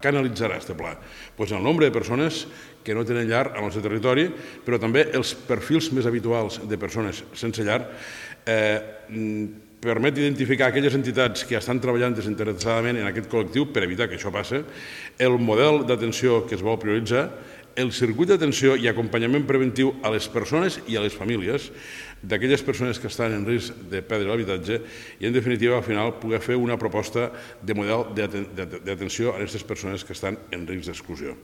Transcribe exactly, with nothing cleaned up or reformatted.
canalitzarà aquest pla? Doncs el nombre de persones que no tenen llar al nostre territori, però també els perfils més habituals de persones sense llar, permet identificar aquelles entitats que estan treballant desinteressadament en aquest col·lectiu per evitar que això passi, el model d'atenció que es vol prioritzar, el circuit d'atenció i acompanyament preventiu a les persones i a les famílies d'aquelles persones que estan en risc de perdre l'habitatge i, en definitiva, al final, poder fer una proposta de model d'atenció a aquestes persones que estan en risc d'exclusió.